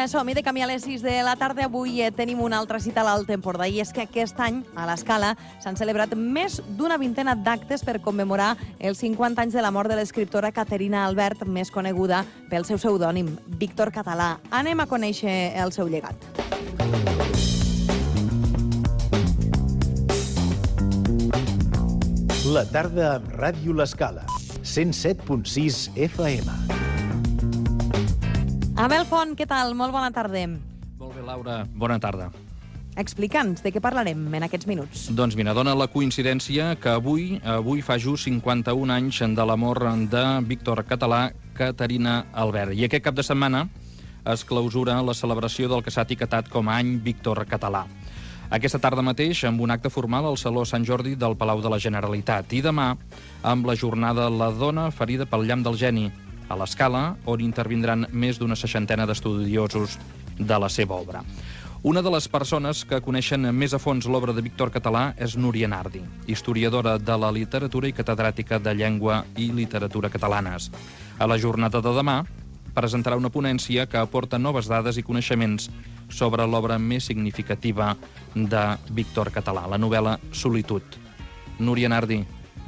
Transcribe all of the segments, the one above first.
Som-hi de camí a les 6 de la tarda. Avui tenim una altra cita a l'Alt Empordà i és que aquest any, a l'Escala, s'han celebrat més d'una vintena d'actes per commemorar els 50 anys de la mort de l'escriptora Caterina Albert, més coneguda pel seu pseudònim, Víctor Català. Anem a conèixer el seu llegat. La tarda amb Ràdio L'Escala, 107.6 FM. Abel Font, què tal? Molt bona tarda. Molt bé, Laura. Bona tarda. Explica'ns de què parlarem en aquests minuts. Doncs mira, dona la coincidència que avui fa just 51 anys de la mort de Víctor Català, Caterina Albert. I aquest cap de setmana es clausura la celebració del que s'ha etiquetat com a any Víctor Català. Aquesta tarda mateix, amb un acte formal al Saló Sant Jordi del Palau de la Generalitat. I demà, amb la jornada La dona ferida pel llamp del geni, a l'Escala, on intervindran més d'una 60 d'estudiosos de la seva obra. Una de les persones que coneixen més a fons l'obra de Víctor Català és Núria Nardi, historiadora de la literatura i catedràtica de llengua i literatura catalanes. A la jornada de demà presentarà una ponència que aporta noves dades i coneixements sobre l'obra més significativa de Víctor Català, la novel·la Solitud. Núria Nardi,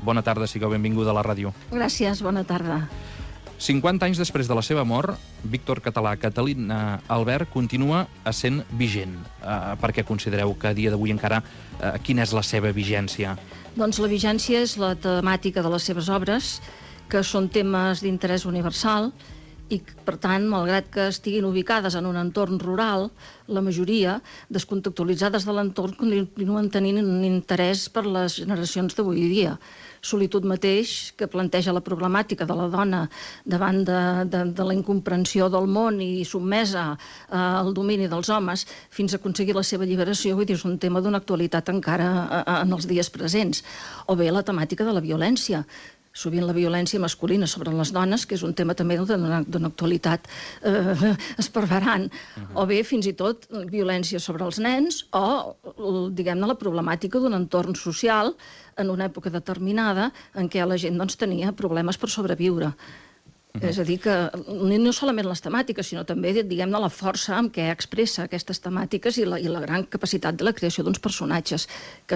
bona tarda, sigueu benvinguda a la ràdio. Gràcies, bona tarda. 50 anys després de la seva mort, Víctor Català, Caterina Albert, continua essent vigent. Per què considereu que a dia d'avui encara quina és la seva vigència? Doncs la vigència és la temàtica de les seves obres, que són temes d'interès universal i, per tant, malgrat que estiguin ubicades en un entorn rural, la majoria, descontextualitzades de l'entorn, continuen tenint un interès per les generacions d'avui dia. Solitud mateix, que planteja la problemàtica de la dona davant de la incomprensió del món i sotmesa al domini dels homes fins a aconseguir la seva alliberació, vull dir, és un tema d'una actualitat encara en els dies presents. O bé la temàtica de la violència, sovint la violència masculina sobre les dones, que és un tema també d'una actualitat esparverant, o bé fins i tot violència sobre els nens o, diguem-ne, la problemàtica d'un entorn social en una època determinada en què la gent tenia problemes per sobreviure. És a dir, que no solament les temàtiques, sinó també, diguem-ne, la força amb què expressa aquestes temàtiques i la gran capacitat de la creació d'uns personatges que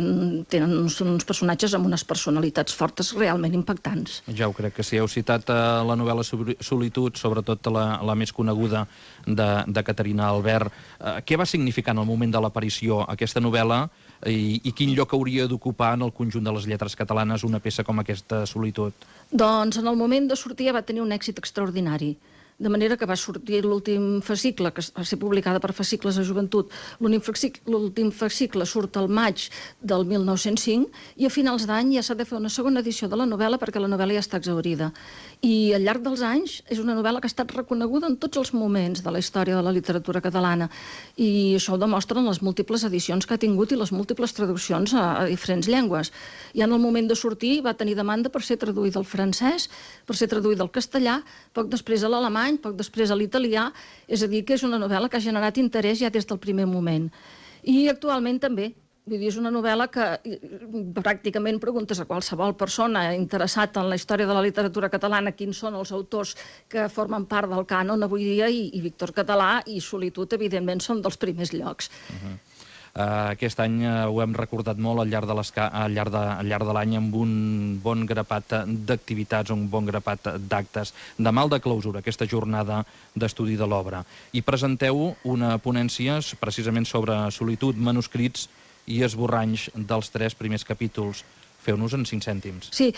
tenen uns personatges amb unes personalitats fortes realment impactants. Ja ho crec que sí. Heu citat la novel·la Solitud, sobretot la més coneguda de Caterina Albert. Què va significar en el moment de l'aparició aquesta novel·la i quin lloc hauria d'ocupar en el conjunt de les lletres catalanes una peça com aquesta Solitud? Doncs en el moment de sortir va tenir un èxit extraordinari. De manera que va sortir l'últim fascicle, que va ser publicada per Fascicles de Joventut. L'últim fascicle surt al maig del 1905 i a finals d'any ja s'ha de fer una segona edició de la novel·la perquè la novel·la ja està exhaurida. I al llarg dels anys és una novel·la que ha estat reconeguda en tots els moments de la història de la literatura catalana. I això ho demostren les múltiples edicions que ha tingut i les múltiples traduccions a diferents llengües. I en el moment de sortir va tenir demanda per ser traduïda al francès, per ser traduïda al castellà, poc després a l'alemany, poc després a l'italià, és a dir, que és una novel·la que ha generat interès ja des del primer moment. I actualment també, vull dir, és una novel·la que pràcticament preguntes a qualsevol persona interessat en la història de la literatura catalana quins són els autors que formen part del cànon avui dia i Víctor Català i Solitud, evidentment, són dels primers llocs. Aquest any ho hem recordat molt al llarg de l'any amb un bon grapat d'activitats, un bon grapat d'actes. Demà el de clausura, aquesta jornada d'estudi de l'obra. I presenteu una ponència precisament sobre Solitud, manuscrits i esborranys dels 3 primers capítols. Feu-nos en 5 cèntims. Sí,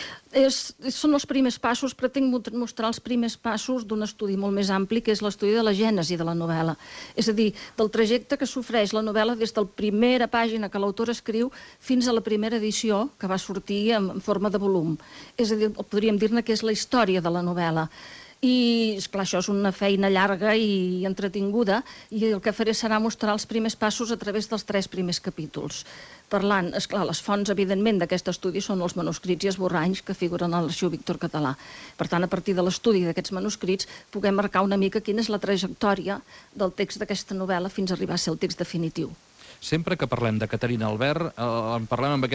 són els primers passos, pretenc mostrar els primers passos d'un estudi molt més ampli, que és l'estudi de la gènesi de la novel·la. És a dir, del trajecte que sofreix la novel·la des de la primera pàgina que l'autor escriu fins a la primera edició, que va sortir en forma de volum. És a dir, podríem dir-ne que és la història de la novel·la. I, esclar, això és una feina llarga i entretinguda, i el que faré serà mostrar els primers passos a través dels 3 primers capítols. Parlant, esclar, les fonts, evidentment, d'aquest estudi són els manuscrits i esborranys que figuren a l'Arxiu Víctor Català. Per tant, a partir de l'estudi d'aquests manuscrits, puguem marcar una mica quina és la trajectòria del text d'aquesta novel·la fins a arribar a ser el text definitiu. sempre que parlem de Caterina Albert, en parlem amb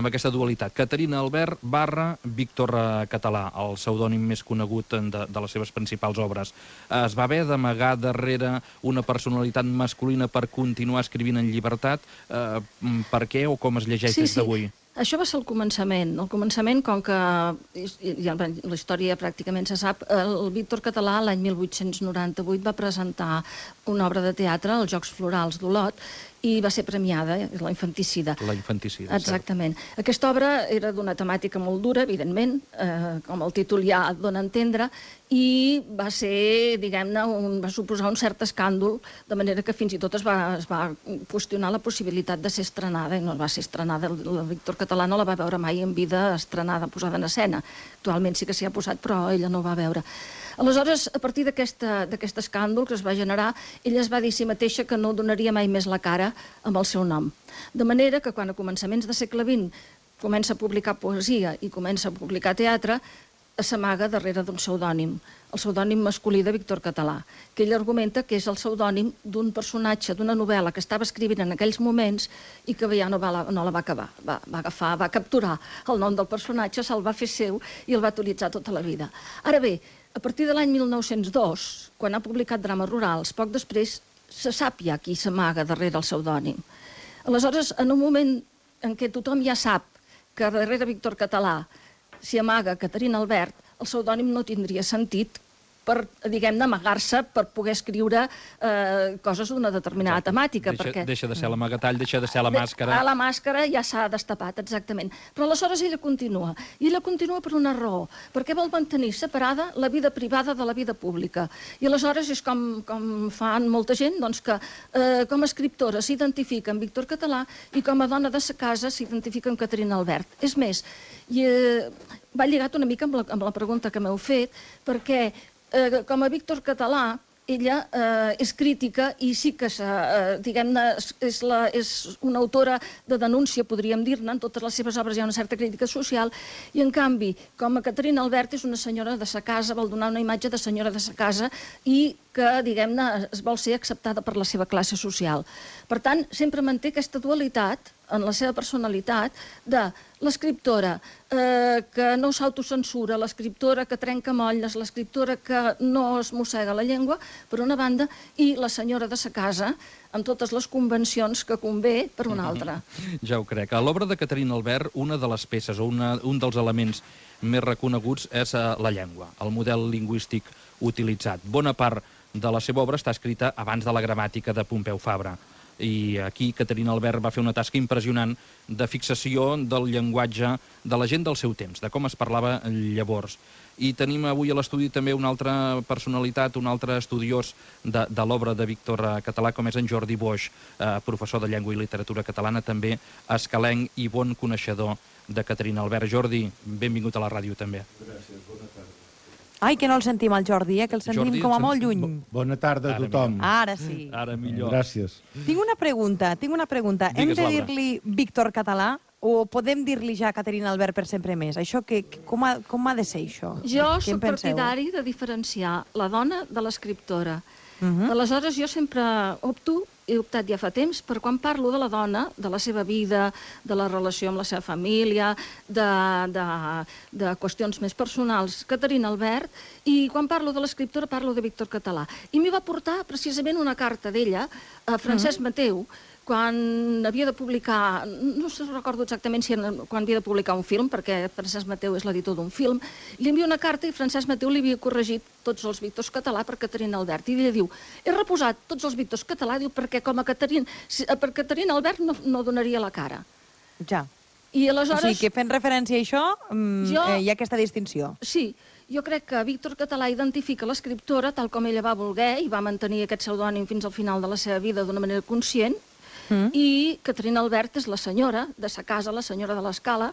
aquesta dualitat. Caterina Albert / Víctor Català, el pseudònim més conegut de les seves principals obres. Es va haver d'amagar darrere una personalitat masculina per continuar escrivint en llibertat. Per què o com es llegeix des d'avui? Això va ser el començament. El començament, com que la història pràcticament se sap, el Víctor Català l'any 1898 va presentar una obra de teatre, els Jocs Florals d'Olot, i va ser premiada, la Infanticida. La Infanticida, exactament. Aquesta obra era d'una temàtica molt dura, evidentment, com el títol ja et dona a entendre, i va ser, diguem-ne, va suposar un cert escàndol, de manera que fins i tot es va qüestionar la possibilitat de ser estrenada, i no va ser estrenada. El Víctor Català no la va veure mai en vida estrenada, posada en escena. Actualment sí que s'hi ha posat, però ella no ho va veure. Aleshores, a partir d'aquest escàndol que es va generar, ella es va dir a si mateixa que no donaria mai més la cara amb el seu nom. De manera que quan a començaments del segle XX comença a publicar poesia i comença a publicar teatre, s'amaga darrere d'un pseudònim, el pseudònim masculí de Víctor Català, que ell argumenta que és el pseudònim d'un personatge d'una novel·la que estava escrivint en aquells moments i que ja no la va acabar. Va capturar el nom del personatge, se'l va fer seu i el va utilitzar tota la vida. Ara bé, a partir de l'any 1902, quan ha publicat Drames rurals, poc després se sap ja qui s'amaga darrere el pseudònim. Aleshores, en un moment en què tothom ja sap que darrere Víctor Català s'hi amaga Caterina Albert, el pseudònim no tindria sentit per, diguem-ne, amagar-se per poder escriure coses d'una determinada temàtica. Deixa de ser l'amagatall, deixa de ser la màscara. La màscara ja s'ha destapat, exactament. Però aleshores ella continua. I ella continua per una raó, perquè vol mantenir separada la vida privada de la vida pública. I aleshores és com fan molta gent, doncs que com a escriptora s'identifica amb Víctor Català i com a dona de sa casa s'identifica amb Caterina Albert. És més, va lligat una mica amb la pregunta que m'heu fet, perquè com a Víctor Català, ella és crítica i sí que, diguem-ne, és una autora de denúncia, podríem dir-ne, en totes les seves obres hi ha una certa crítica social, i en canvi, com a Caterina Albert és una senyora de sa casa, vol donar una imatge de senyora de sa casa i que, diguem-ne, es vol ser acceptada per la seva classe social. Per tant, sempre manté aquesta dualitat en la seva personalitat de l'escriptora que no s'autocensura, l'escriptora que trenca molles, l'escriptora que no es mossega la llengua, per una banda, i la senyora de sa casa, amb totes les convencions que convé, per una altra. Ja ho crec. A l'obra de Caterina Albert, una de les peces o un dels elements més reconeguts és la llengua, el model lingüístic utilitzat. Bona part de la seva obra està escrita abans de la gramàtica de Pompeu Fabra. I aquí Caterina Albert va fer una tasca impressionant de fixació del llenguatge de la gent del seu temps, de com es parlava llavors. I tenim avui a l'estudi també una altra personalitat, un altre estudiós de l'obra de Víctor Català, com és en Jordi Boix, professor de Llengua i Literatura Catalana, també escalenc i bon coneixedor de Caterina Albert. Jordi, benvingut a la ràdio també. Gràcies, bona tarda. Ai, que no el sentim, el Jordi, que el sentim com a molt lluny. Bona tarda a tothom. Ara sí. Ara millor. Gràcies. Tinc una pregunta. Hem de dir-li Víctor Català o podem dir-li ja Caterina Albert per sempre més? Això com ha de ser, això? Jo soc partidari de diferenciar la dona de l'escriptora. Aleshores, jo sempre he optat ja fa temps, per quan parlo de la dona, de la seva vida, de la relació amb la seva família, de qüestions més personals, Caterina Albert, i quan parlo de l'escriptora parlo de Víctor Català. I m'hi va portar precisament una carta d'ella a Francesc Mateu, quan havia de publicar, no recordo exactament quan havia de publicar un film, perquè Francesc Mateu és l'editor d'un film, li envia una carta i Francesc Mateu li havia corregit tots els Víctors Català per Caterina Albert. I ella diu, he reposat tots els Víctors Català, diu, perquè com a per Caterina Albert no donaria la cara. Ja. I aleshores... O sigui que fent referència a això hi ha aquesta distinció. Sí. Jo crec que Víctor Català identifica l'escriptora tal com ella va voler i va mantenir aquest pseudònim fins al final de la seva vida d'una manera conscient, i Caterina Albert és la senyora de sa casa, la senyora de l'Escala,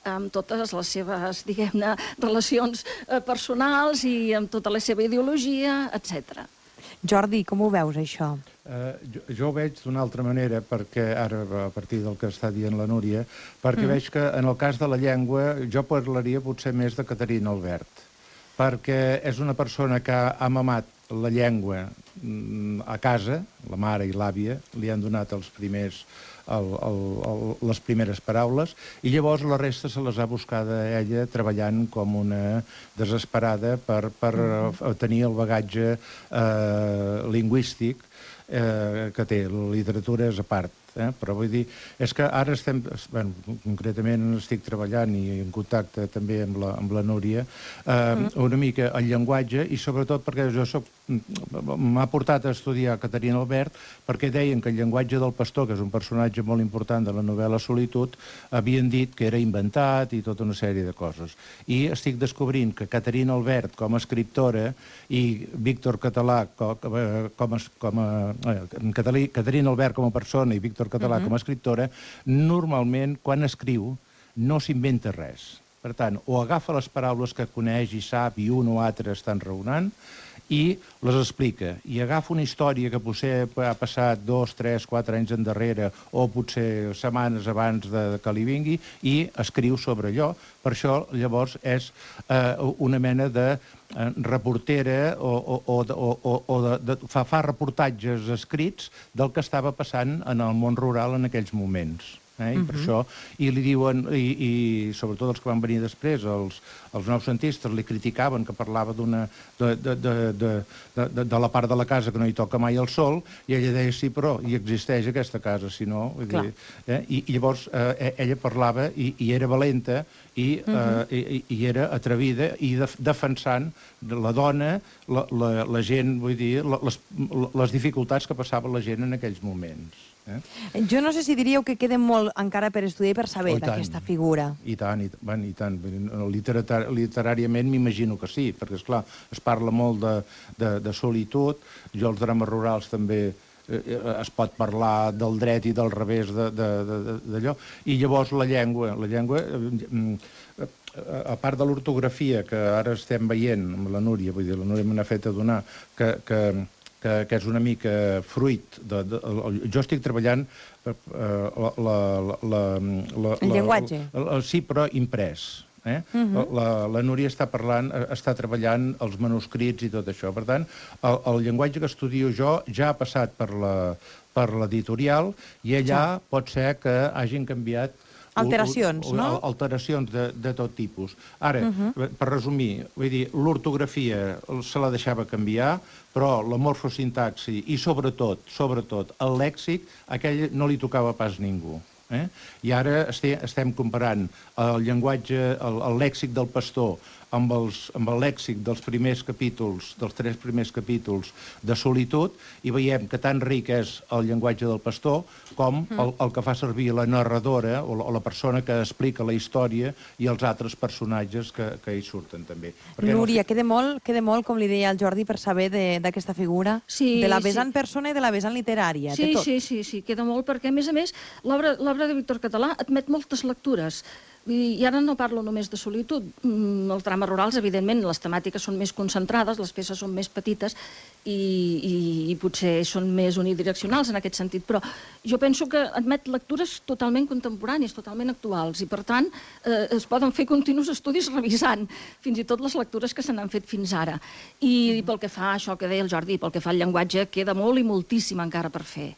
amb totes les seves, diguem-ne, relacions personals i amb tota la seva ideologia, etc. Jordi, com ho veus, això? Jo ho veig d'una altra manera, perquè ara, a partir del que està dient la Núria, perquè veig que en el cas de la llengua jo parlaria potser més de Caterina Albert, perquè és una persona que ha mamat la llengua a casa, la mare i l'àvia, li han donat les primeres paraules, i llavors la resta se les ha buscada ella treballant com una desesperada per tenir el bagatge lingüístic que té. La literatura és a part. Però vull dir, és que ara estem, concretament estic treballant i en contacte també amb la Núria, una mica el llenguatge, i sobretot perquè jo m'ha portat a estudiar Caterina Albert, perquè deien que el llenguatge del pastor, que és un personatge molt important de la novel·la Solitud, havien dit que era inventat i tota una sèrie de coses. I estic descobrint que Caterina Albert com a escriptora i Víctor Català Caterina Albert com a persona i Víctor Català com a escriptora, normalment, quan escriu, no s'inventa res. Per tant, o agafa les paraules que coneix i sap i un o altre estan raonant i les explica. I agafa una història que potser ha passat 2, 3, 4 anys endarrere o potser setmanes abans que li vingui i escriu sobre allò. Per això, llavors, és una mena de reportera fa reportatges escrits del que estava passant en el món rural en aquells moments. I per això, i li diuen, i sobretot els que van venir després, els noucentistes li criticaven que parlava de la part de la casa que no hi toca mai el sol, i ella deia, sí, però hi existeix aquesta casa, si no... I llavors ella parlava i era valenta i era atrevida i defensant la dona, la gent, vull dir, les dificultats que passava la gent en aquells moments. Jo no sé si diríeu que queda molt encara per estudiar i per saber d'aquesta figura. I tant. Literàriament m'imagino que sí, perquè, esclar, es parla molt de solitud. Jo als drames rurals també es pot parlar del dret i del revés d'allò. I llavors la llengua, a part de l'ortografia que ara estem veient amb la Núria, vull dir, la Núria me n'ha fet adonar que és una mica fruit. Jo estic treballant el llenguatge. Sí, però imprès. La Núria està treballant els manuscrits i tot això. Per tant, el llenguatge que estudio jo ja ha passat per l'editorial i allà pot ser que hagin canviat alteracions, no? Alteracions de tot tipus. Ara, per resumir, vull dir, l'ortografia se la deixava canviar, però la morfosintaxi i sobretot el lèxic, aquell no li tocava pas ningú. I ara estem comparant el llenguatge, el lèxic del pastor amb el lèxic dels primers capítols, dels 3 primers capítols de Solitud, i veiem que tan ric és el llenguatge del pastor com el que fa servir la narradora o la persona que explica la història i els altres personatges que hi surten també. Núria, queda molt, com li deia el Jordi, per saber d'aquesta figura? De la vessant persona i de la vessant literària, de tot. Sí, queda molt, perquè a més, l'obra de Víctor Català admet moltes lectures. I ara no parlo només de Solitud. Els drames rurals, evidentment, les temàtiques són més concentrades, les peces són més petites i potser són més unidireccionals en aquest sentit, però jo penso que admet lectures totalment contemporànies, totalment actuals, i per tant es poden fer continus estudis revisant fins i tot les lectures que se n'han fet fins ara. I pel que fa a això que deia el Jordi, pel que fa al llenguatge, queda molt i moltíssim encara per fer.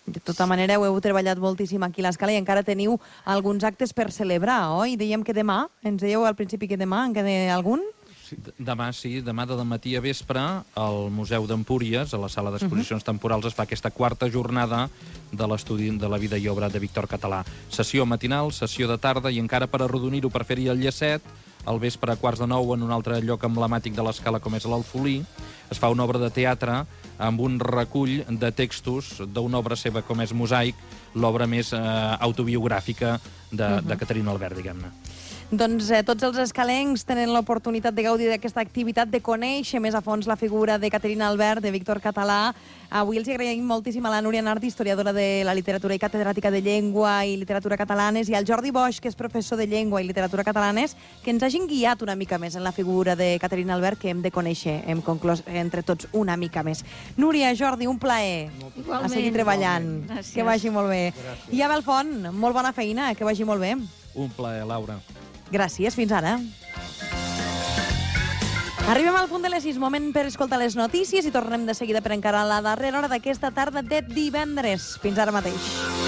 De tota manera, ho heu treballat moltíssim aquí a l'Escala i encara teniu alguns actes per celebrar, oi? Dèiem que demà, ens dèieu al principi que demà, en queda algun? Demà, sí. Demà de matí a vespre, al Museu d'Empúries, a la sala d'exposicions temporals, es fa aquesta 4a jornada de l'estudi de la vida i obra de Víctor Català. Sessió matinal, sessió de tarda, i encara per arrodonir-ho, per fer-hi el llacet, al vespre a 8:45, en un altre lloc emblemàtic de l'Escala com és l'Alfolí, es fa una obra de teatre amb un recull de textos d'una obra seva com és Mosaic, l'obra més autobiogràfica de Caterina Albert, diguem-ne. Doncs tots els escalencs tenen l'oportunitat de gaudir d'aquesta activitat, de conèixer més a fons la figura de Caterina Albert, de Víctor Català. Avui els agraïm moltíssim a la Núria Nardi, historiadora de la literatura i catedràtica de llengua i literatura catalanes, i al Jordi Boix, que és professor de llengua i literatura catalanes, que ens hagin guiat una mica més en la figura de Caterina Albert, que hem de conèixer, hem conclòs entre tots una mica més. Núria, Jordi, un plaer. Igualment. A seguir treballant. Gràcies. Que vagi molt bé. Gràcies. I Abel Font, molt bona feina, que vagi molt bé. Un plaer, Laura. Gràcies, fins ara. Arribem al punt de les 6, moment per escoltar les notícies i tornem de seguida per encarar la darrera hora d'aquesta tarda de divendres. Fins ara mateix.